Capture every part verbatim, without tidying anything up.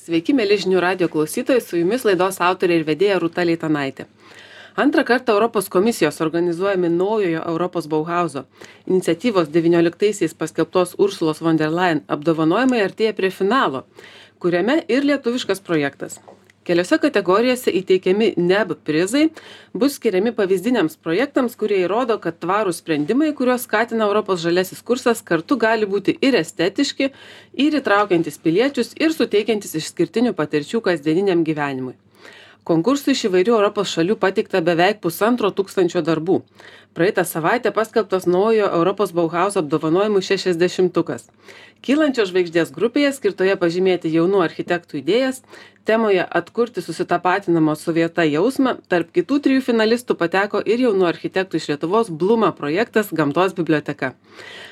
Sveiki, mėly žinių radijo klausytojai, su jumis laidos autorė ir vedėja Rūta Leitanaitė. Antrą kartą Europos komisijos organizuojami naujojo Europos Bauhauso iniciatyvos devynioliktaisiais paskelbtos Ursulos von der Leyen apdovanojimai artėja prie finalo, kuriame ir lietuviškas projektas. Keliose kategorijose įteikiami N E B prizai bus skiriami pavyzdiniams projektams, kurie įrodo, kad tvarūs sprendimai, kuriuos skatina Europos žaliasis kursas, kartu gali būti ir estetiški, ir įtraukiantis piliečius, ir suteikiantis išskirtinių patirčių kasdieniniam gyvenimui. Konkursui iš įvairių Europos šalių pateikta beveik pusantro tūkstančio darbų. Praeitą savaitę paskelbtas naujo Europos Bauhauso apdovanojimų šešiasdešimtukas. Kylančios žvaigždės grupėje, skirtoje pažymėti jaunų architektų idėjas, temoje atkurti susitapatinamo su vieta jausmą, tarp kitų trijų finalistų pateko ir jaunų architektų iš Lietuvos Bluma projektas Gamtos biblioteka.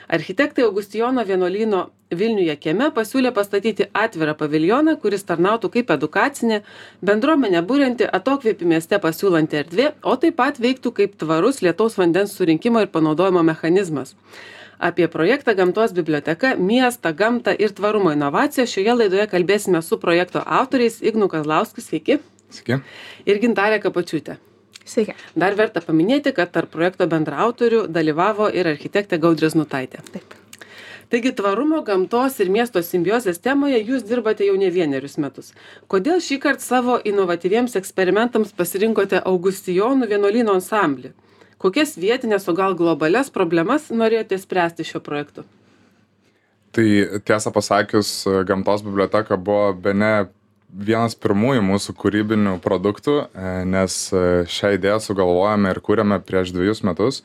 Architektai Augustijono vienuolyno Vilniuje kieme pasiūlė pastatyti atvirą paviljoną, kuris tarnautų kaip edukacinė, bendruomenę būrianti, atokvėpį mieste pasiūlanti erdvė, o taip pat veiktų kaip tvarus lietaus vandens surinkimo ir panaudojimo mechanizmas. Apie projektą Gamtos biblioteka, miestą, gamtą ir tvarumo inovaciją šioje laidoje kalbėsime su projekto autoriais Ignu Kazlausku, sveiki. Sveiki. Ir Gintarė Kapočiūtė. Sveiki. Dar verta paminėti, kad tarp projekto bendraautorių dalyvavo ir architektė Gaudrė Znutaitė. Taip. Taigi tvarumo, gamtos ir miesto simbiozės temoje jūs dirbate jau ne vienerius metus. Kodėl šįkart savo inovatyviems eksperimentams pasirinkote Augustijonų vienuolyno ansamblį? Kokias vietinės, o gal globalias problemas norėjote spręsti šio projektu? Tai tiesą pasakius, Gamtos biblioteka buvo bene vienas pirmųjų mūsų kūrybinių produktų, nes šią idėją sugalvojame ir kūrėme prieš dviejus metus.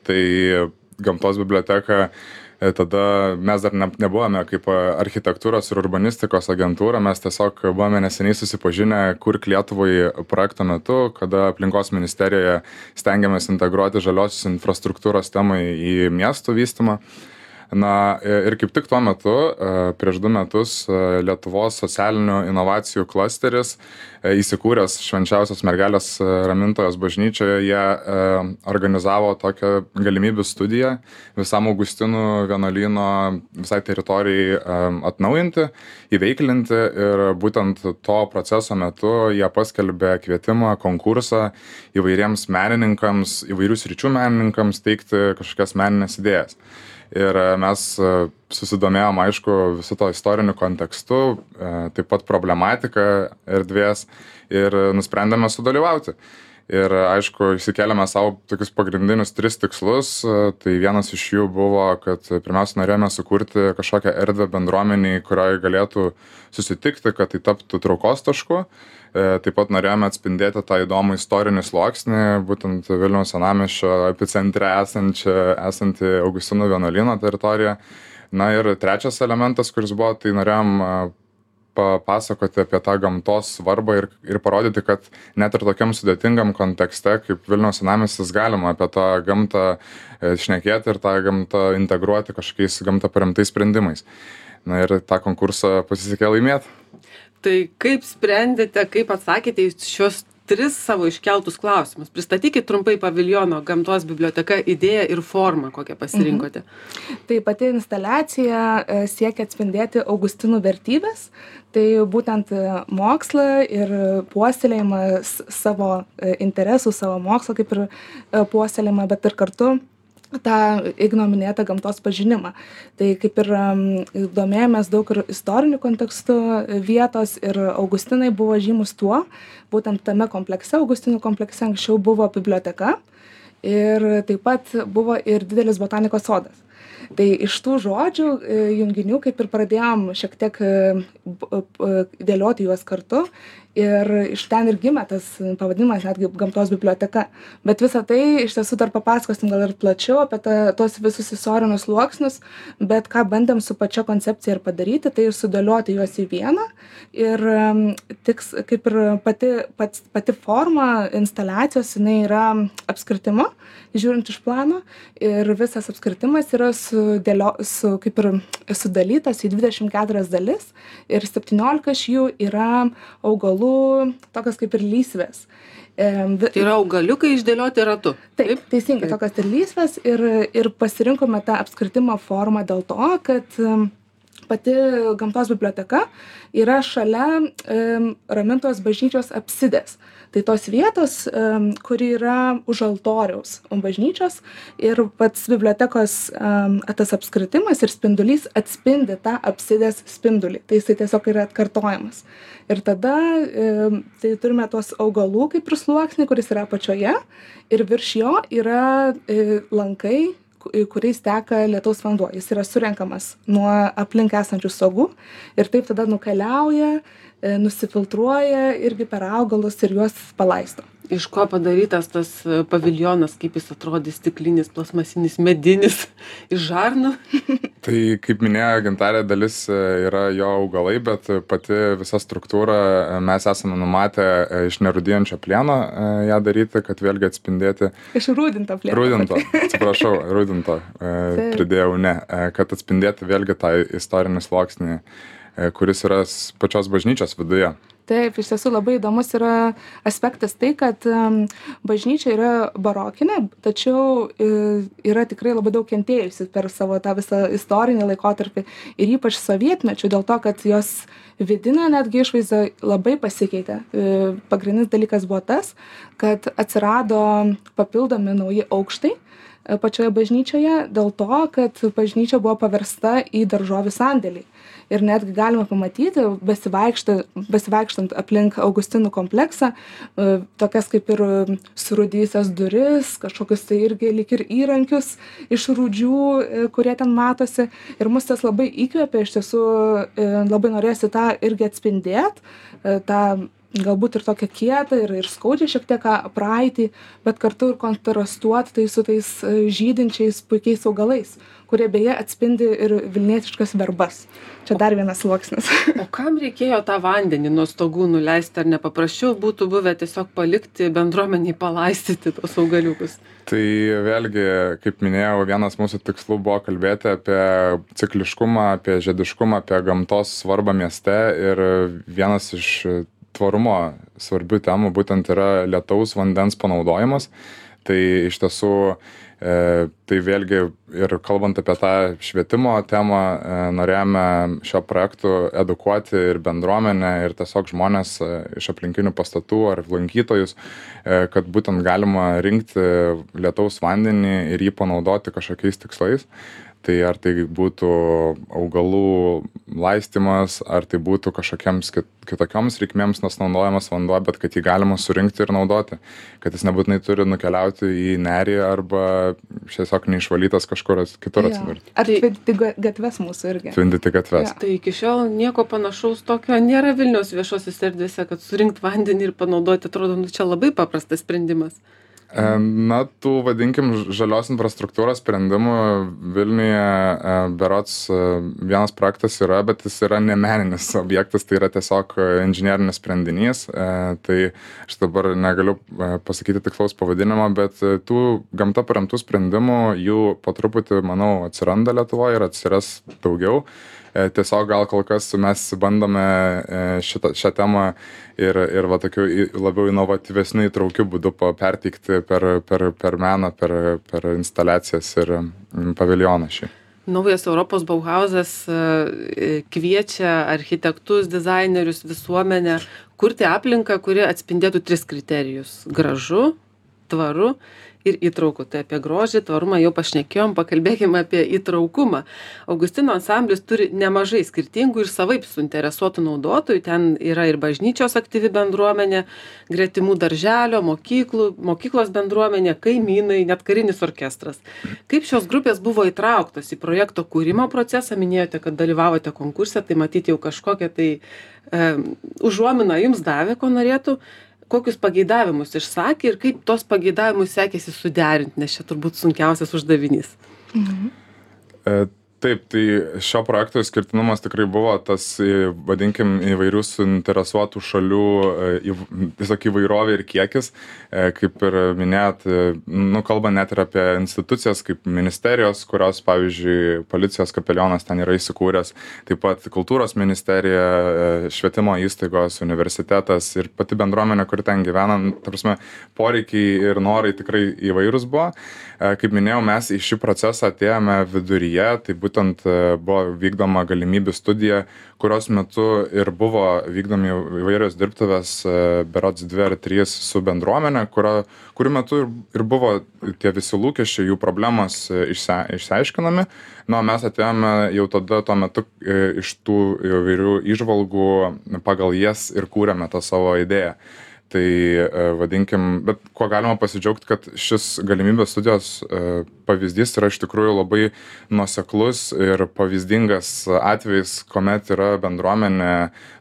Tai Gamtos biblioteka, tada mes dar ne, nebuvome kaip architektūros ir urbanistikos agentūra, mes tiesiog buvome neseniai susipažinę Kurk Lietuvai projekto metu, kada aplinkos ministerijoje stengiamės integruoti žaliosios infrastruktūros temą į miestų vystymą. Na ir kaip tik tuo metu, prieš du metus, Lietuvos socialinių inovacijų klasteris, įsikūręs Švenčiausios mergelės ramintojos bažnyčioje, jie organizavo tokią galimybių studiją visam Augustinų vienuolyno visai teritorijai atnaujinti, įveiklinti, ir būtent to proceso metu jie paskelbė kvietimą, konkursą įvairiems menininkams, įvairių sričių menininkams teikti kažkokias meninės idėjas. Ir mes susidomėjom, aišku, visu to istoriniu kontekstu, taip pat problematika erdvės, ir nusprendėme sudalyvauti. Ir aišku, išsikėlėme savo tokius pagrindinius tris tikslus. Tai vienas iš jų buvo, kad pirmiausia norėjome sukurti kažkokią erdvę bendruomeniai, kurioje galėtų susitikti, kad tai taptų traukos tašku. Taip pat norėjome atspindėti tą įdomų istorinį sluoksnį, būtent Vilniaus senamiesčio epicentre esančią, esantį Augustinų vienuolyno teritoriją. Na ir trečias elementas, kuris buvo, tai norėjom papasakoti apie tą gamtos svarbą ir, ir parodyti, kad net ir tokiam sudėtingam kontekste, kaip Vilniaus senamiestis, galima apie tą gamtą šnekėti ir tą gamtą integruoti kažkokiais gamtą paremtais sprendimais. Na ir tą konkursą pasisekė laimėti. Tai kaip sprendėte, kaip atsakėte į šios tris savo iškeltus klausimus? Pristatykit trumpai paviljono Gamtos biblioteka idėją ir formą, kokią pasirinkote. Mhm. Tai pati instaliacija siekia atspindėti Augustinų vertybės, tai būtent mokslą ir puoselėjimą savo interesų, savo mokslo kaip ir puoselėjimą, bet ir kartu tą Igno minėtą gamtos pažinimą. Tai kaip ir um, domėjomės daug ir istorinių kontekstų vietos, ir Augustinai buvo žymus tuo, būtent tame komplekse, Augustinų komplekse anksčiau buvo biblioteka ir taip pat buvo ir didelis botanikos sodas. Tai iš tų žodžių junginių kaip ir pradėjom šiek tiek dėlioti juos kartu, ir iš ten ir gimė tas pavadinimas netgi Gamtos biblioteka. Bet visą tai iš tiesų dar papasakosim gal ir plačiau apie ta, tos visus istorinius sluoksnius, bet ką bandėm su pačia koncepcija ir padaryti, tai ir sudėlioti juos į vieną. Ir tiks, kaip ir pati, pati, pati forma instaliacijos, jinai yra apskritimo, žiūrint iš plano, ir visas apskritimas yra sudėlio, su, kaip ir sudalytas į dvidešimt keturias dalis, ir septyniolika iš jų yra augalų, tokios kaip ir lysvės. Tai yra augaliukai išdėlioti ratu. Taip, taip, teisingai, tokios ir lysvės, ir, ir pasirinkome tą apskritimo formą dėl to, kad pati gamtos biblioteka yra šalia um, Ramintojos bažnyčios apsidės. Tai tos vietos, um, kuri yra už altoriaus bažnyčios ir pats bibliotekos um, tas apskritimas ir spindulys atspindi tą apsidės spindulį. Tai jisai tiesiog yra atkartojamas. Ir tada um, tai turime tuos augalų kaip ir sluoksnį, kuris yra apačioje ir virš jo yra um, lankai, kuriais teka lietaus vanduo. Jis yra surenkamas nuo aplink esančių stogų ir taip tada nukeliauja, nusifiltruoja irgi per augalus ir juos palaisto. Iš ko padarytas tas paviljonas, kaip jis atrodys, stiklinis, plasmasinis, medinis, iš žarnų? Tai, kaip minėjo Gintarė, dalis yra jo augalai, bet pati visa struktūra mes esame numatę iš nerūdijančio plieno ją daryti, kad vėlgi atspindėti. Iš rūdinto plieno. Rūdinto, atsiprašau, rūdinto pridėjau, ne, kad atspindėti vėlgi tą istorinį sluoksnį, kuris yra pačios bažnyčios viduje. Taip, iš tiesų labai įdomus yra aspektas tai, kad um, bažnyčia yra barokinė, tačiau e, yra tikrai labai daug kentėjusi per savo tą visą istorinį laikotarpį ir ypač sovietmečių, dėl to, kad jos vidinė netgi išvaizda labai pasikeitė. E, pagrindinis dalykas buvo tas, kad atsirado papildomi nauji aukštai pačioje bažnyčioje dėl to, kad bažnyčia buvo paversta į daržovių sandėlį. Ir netgi galima pamatyti, besivaikštant aplink Augustinų kompleksą, tokias kaip ir surūdijusias duris, kažkokius tai irgi lyg ir įrankius iš rūdžių, kurie ten matosi. Ir mus tas labai įkvėpė, iš tiesų labai norėsi tą irgi atspindėti, tą galbūt ir tokia kieta ir, ir skaudžia šiek tiek praeitį, bet kartu ir kontrastuoti tai su tais žydinčiais puikiais augalais, kurie beje atspindi ir vilnietiškas verbas. Čia dar vienas sluoksnis. O kam reikėjo tą vandenį nuo stogų nuleisti, ar nepaprasčiau būtų buvę tiesiog palikti bendruomeniai palaistyti tos augaliukus? Tai vėlgi, kaip minėjau, vienas mūsų tikslų buvo kalbėti apie cikliškumą, apie žiediškumą, apie gamtos svarbą mieste ir vienas iš tvarumo svarbių temų būtent yra lietaus vandens panaudojimas. Tai iš tiesų, e, tai vėlgi ir kalbant apie tą švietimo temą, e, norėjome šio projektu edukuoti ir bendruomenę, ir tiesiog žmonės e, iš aplinkinių pastatų ar lankytojus, e, kad būtent galima rinkti lietaus vandenį ir jį panaudoti kažkokiais tikslais. Tai ar tai būtų augalų laistymas, ar tai būtų kažkokiems kitokioms reikmėms naudojamas vanduo, bet kad jį galima surinkti ir naudoti. Kad jis nebūtinai turi nukeliauti į nerį arba tiesiog neišvalytas kažkur kitur atsidurti. Ar tvindyti gatves mūsų irgi? Tvindyti gatves. Ja. Tai iki šiol nieko panašaus tokio nėra Vilniaus viešosios erdvėse, kad surinkti vandenį ir panaudoti, atrodo, nu, čia labai paprastas sprendimas. Na, tų, vadinkim, žalios infrastruktūros sprendimų Vilniuje berods vienas projektas yra, bet jis yra ne meninis objektas, tai yra tiesiog inžinierinis sprendinys. Tai aš dabar negaliu pasakyti tikslaus pavadinimo, bet tų gamta paremtų sprendimų jų po truputį, manau, atsiranda Lietuvoje ir atsiras daugiau. Tiesiog gal kol kas mes bandome šitą, šią temą ir, ir va, tokiu labiau inovatyvesniu įtraukiu būdu perteikti per, per, per meną, per, per instaliacijas ir paviljoną šį. Naujas Europos Bauhausas kviečia architektus, dizainerius, visuomenę kurti aplinką, kuri atspindėtų tris kriterijus: gražu, tvaru ir įtrauku. Tai apie grožį, tvarumą jau pašnekėjom, pakalbėkime apie įtraukumą. Augustino ansamblis turi nemažai skirtingų ir savaip suinteresuotų naudotojų. Ten yra ir bažnyčios aktyvi bendruomenė, gretimų darželio, mokyklų, mokyklos bendruomenė, kaimynai, net karinis orkestras. Kaip šios grupės buvo įtrauktos į projekto kūrimo procesą? Minėjote, kad dalyvavote konkurse, tai matyti jau kažkokią tai e, užuominą jums davė, ko norėtų. Kokius pageidavimus išsakė ir kaip tos pageidavimus sekėsi suderinti, nes čia turbūt sunkiausias uždavinys. Mhm. E, taip, tai šio projekto išskirtinumas tikrai buvo tas, vadinkim, įvairių suinteresuotų šalių, tiesiog įvairovė ir kiekis. E, kaip ir minėjot, nu, kalba net ir apie institucijas kaip ministerijos, kurios, pavyzdžiui, policijos kapelionas ten yra įsikūręs, taip pat kultūros ministerija, švietimo įstaigos, universitetas ir pati bendruomenė, kuri ten gyvena. Ta prasme, poreikiai ir norai tikrai įvairūs buvo. E, kaip minėjau, mes į šį procesą atėjome viduryje, tai būtent būtent buvo vykdoma galimybių studija, kurios metu ir buvo vykdomi įvairios dirbtuvės, berods dvi ar trys su bendruomenė, kurio, kurių metu ir, ir buvo tie visi lūkesčiai, jų problemos išsia, išsiaiškinami. Na, mes atėjome jau tada tuo metu iš tų įvairių įžvalgų pagal jas ir kūrėme tą savo idėją. Tai vadinkim, bet kuo galima pasidžiaugti, kad šis galimybės studijos pavyzdys yra iš tikrųjų labai nuoseklus ir pavyzdingas atvejis, kuomet yra bendruomenė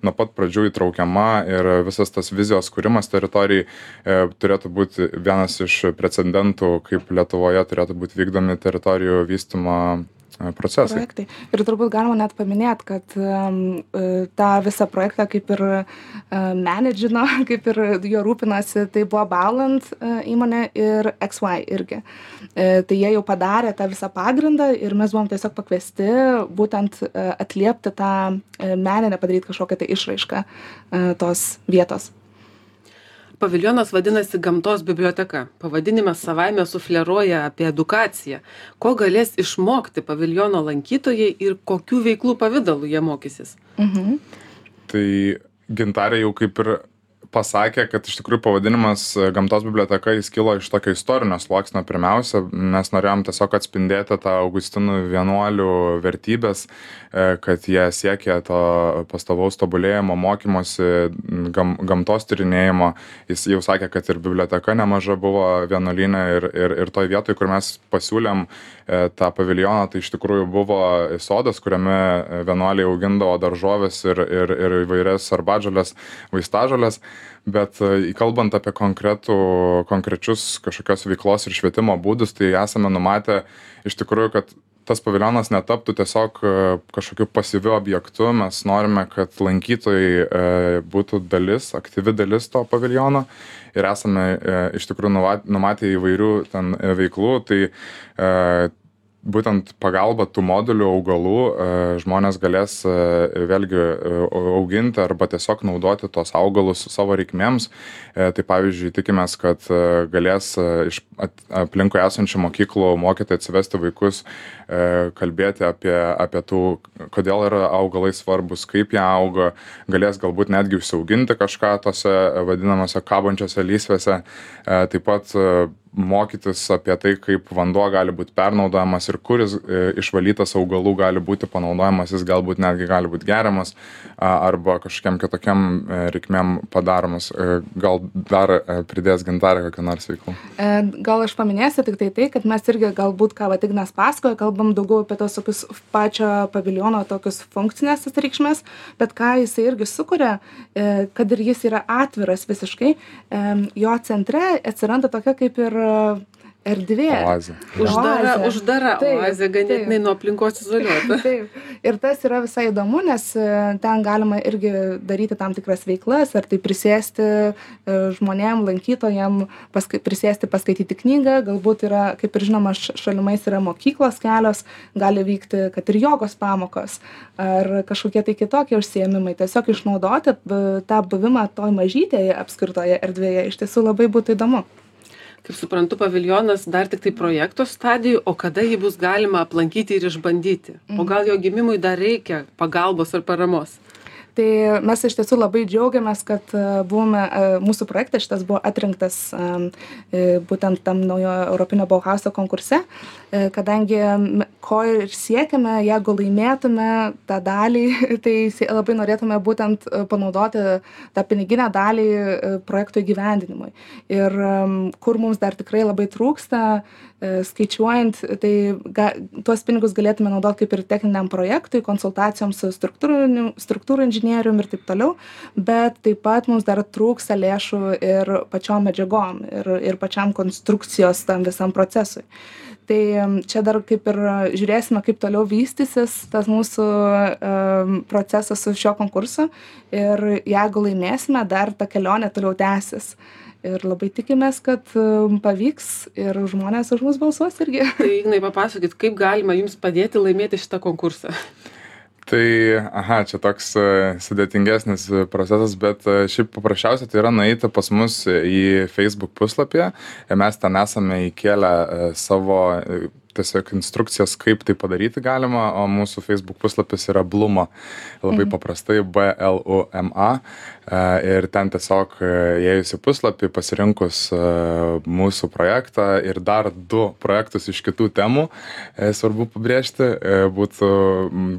nuo pat pradžių įtraukiama ir visas tas vizijos kūrimas teritorijai turėtų būti vienas iš precedentų, kaip Lietuvoje turėtų būti vykdomi teritorijų vystymo procesai. Projektai. Ir turbūt galima net paminėti, kad um, tą visą projektą kaip ir uh, menedžino, kaip ir jo rūpinasi, tai buvo Bauland uh, įmonė ir X Y irgi. Uh, tai jie jau padarė tą visą pagrindą ir mes buvom tiesiog pakviesti būtent uh, atliepti tą uh, meninę, padaryti kažkokią tai išraišką uh, tos vietos. Paviljonas vadinasi Gamtos biblioteka. Pavadinimas savaime sufleruoja apie edukaciją. Ko galės išmokti paviljono lankytojai ir kokių veiklų pavydalų jie mokysis? Mhm. Tai Gintarė jau kaip ir pasakė, kad iš tikrųjų pavadinimas Gamtos biblioteka jis kilo iš tokio istorinio sluoksnio. Pirmiausia, mes norėjom tiesiog atspindėti tą Augustinų vienuolių vertybės, kad jie siekė to pastovaus tobulėjimo, mokymosi, gam, gamtos tyrinėjimo. Jis jau sakė, kad ir biblioteka nemaža buvo vienuolyne ir, ir, ir toj vietoj, kur mes pasiūlėm tą paviljoną, tai iš tikrųjų buvo sodas, kuriame vienuoliai augindavo daržovės ir, ir, ir įvairias arbatžoles, vaistažoles. Bet kalbant apie konkretų, konkrečius kažkokios veiklos ir švietimo būdus, tai esame numatę iš tikrųjų, kad tas paviljonas netaptų tiesiog kažkokiu pasyviu objektu. Mes norime, kad lankytojai būtų dalis, aktyvi dalis to paviljono ir esame iš tikrųjų numatę įvairių ten veiklų. Tai būtent pagalba tų modulių augalų žmonės galės vėlgi auginti arba tiesiog naudoti tos augalus savo reikmėms. Tai pavyzdžiui, tikimės, kad galės iš aplinkui esančių mokyklų mokytojai atsivesti vaikus, kalbėti apie, apie tų, kodėl yra augalai svarbus, kaip jie auga, galės galbūt netgi užsiauginti kažką tose vadinamose kabančiose lysvėse. Taip pat mokytis apie tai, kaip vanduo gali būti pernaudojamas ir kuris išvalytas augalų gali būti panaudojamas, jis galbūt netgi gali būti geriamas arba kažkokiam kitokiam reikmėm padaromas. Gal dar pridės Gintarė kokią nors veiklų? Gal aš paminėsiu tik tai tai, kad mes irgi galbūt, ką vat Ignas pasakoja, kalbam daugiau apie tos tokius pačio paviljono tokius funkcinės reikšmės, bet ką jisai irgi sukuria, kad ir jis yra atviras visiškai, jo centre atsiranda tokia kaip ir erdvė. Oazė. Uždara, Oazė. uždara Taip, oazė, ganėtinai taip. nuo aplinkos izoliuota. Taip. Ir tas yra visai įdomu, nes ten galima irgi daryti tam tikras veiklas, ar tai prisėsti žmonėm, lankytojam, paska, prisėsti, paskaityti knygą, galbūt yra, kaip ir žinoma, šalimais yra mokyklos kelios, gali vykti, kad ir jogos pamokos, ar kažkokie tai kitokie užsiėmimai. Tiesiog išnaudoti tą buvimą toj mažytėje apskirtoje erdvėje iš tiesų labai būtų įdomu. Kaip suprantu, paviljonas dar tik tai projekto stadijų, o kada jį bus galima aplankyti ir išbandyti? O gal jo gimimui dar reikia pagalbos ar paramos? Tai mes iš tiesų labai džiaugiamės, kad buvome, mūsų projektas šitas buvo atrinktas būtent tam naujo Europinio Bauhauso konkurse, kadangi ko ir siekiame, jeigu laimėtume tą dalį, tai labai norėtume būtent panaudoti tą piniginę dalį projektų įgyvendinimui. Ir kur mums dar tikrai labai trūksta, skaičiuojant, tai ga, tuos pinigus galėtume naudoti kaip ir techniniam projektui, konsultacijoms su struktūrų inžinierium ir taip toliau, bet taip pat mums dar trūksta lėšų ir pačiom medžiagom ir, ir pačiam konstrukcijos tam visam procesui. Tai čia dar kaip ir žiūrėsime, kaip toliau vystysis tas mūsų um, procesas su šio konkursu ir jeigu laimėsime, dar ta kelionė toliau tęsis. Ir labai tikimės, kad pavyks ir žmonės už mus balsuos irgi. Tai Ignai, papasakokit, kaip galima jums padėti laimėti šitą konkursą? Tai, aha, čia toks sudėtingesnis procesas, bet šiaip paprasčiausia tai yra nueiti pas mus į Facebook puslapį. Mes ten esame įkėlę savo tiesiog instrukcijas, kaip tai padaryti galima, o mūsų Facebook puslapis yra Bluma, labai mhm. paprastai B L U M A. Ir ten tiesiog įėjus į puslapį, pasirinkus mūsų projektą ir dar du projektus iš kitų temų, svarbu pabrėžti, būtų,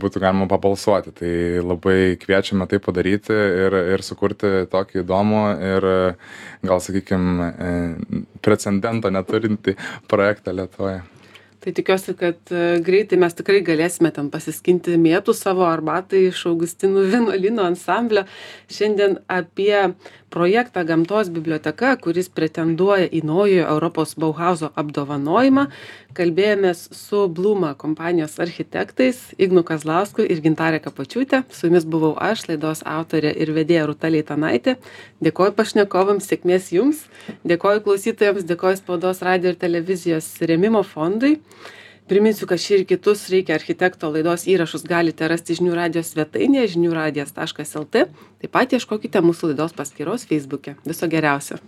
būtų galima pabalsuoti. Tai labai kviečiame tai padaryti ir, ir sukurti tokį įdomų ir gal, sakykime, precedento neturintį projektą Lietuvoje. Tai tikiuosi, kad greitai mes tikrai galėsime ten pasiskinti mėtų savo arbatai iš Augustinų vienuolyno ansamblio. Šiandien apie projektą Gamtos biblioteka, kuris pretenduoja į naujojo Europos Bauhauzo apdovanojimą, kalbėjomės su Bluma kompanijos architektais Ignu Kazlausku ir Gintarė Kapočiūtė. Su jumis buvau aš, laidos autorė ir vedėja Rūta Leitanaitė. Dėkoju pašnekovams, sėkmės jums. Dėkoju klausytojams, dėkoju Spaudos radijo ir televizijos rėmimo fondui. Priminsiu, kad šį ir kitus Reikia architekto laidos įrašus galite rasti žinių radijos svetainėje žinių radijas taškas el tė. Taip pat ieškokite mūsų laidos paskyros Facebook'e. Viso geriausio.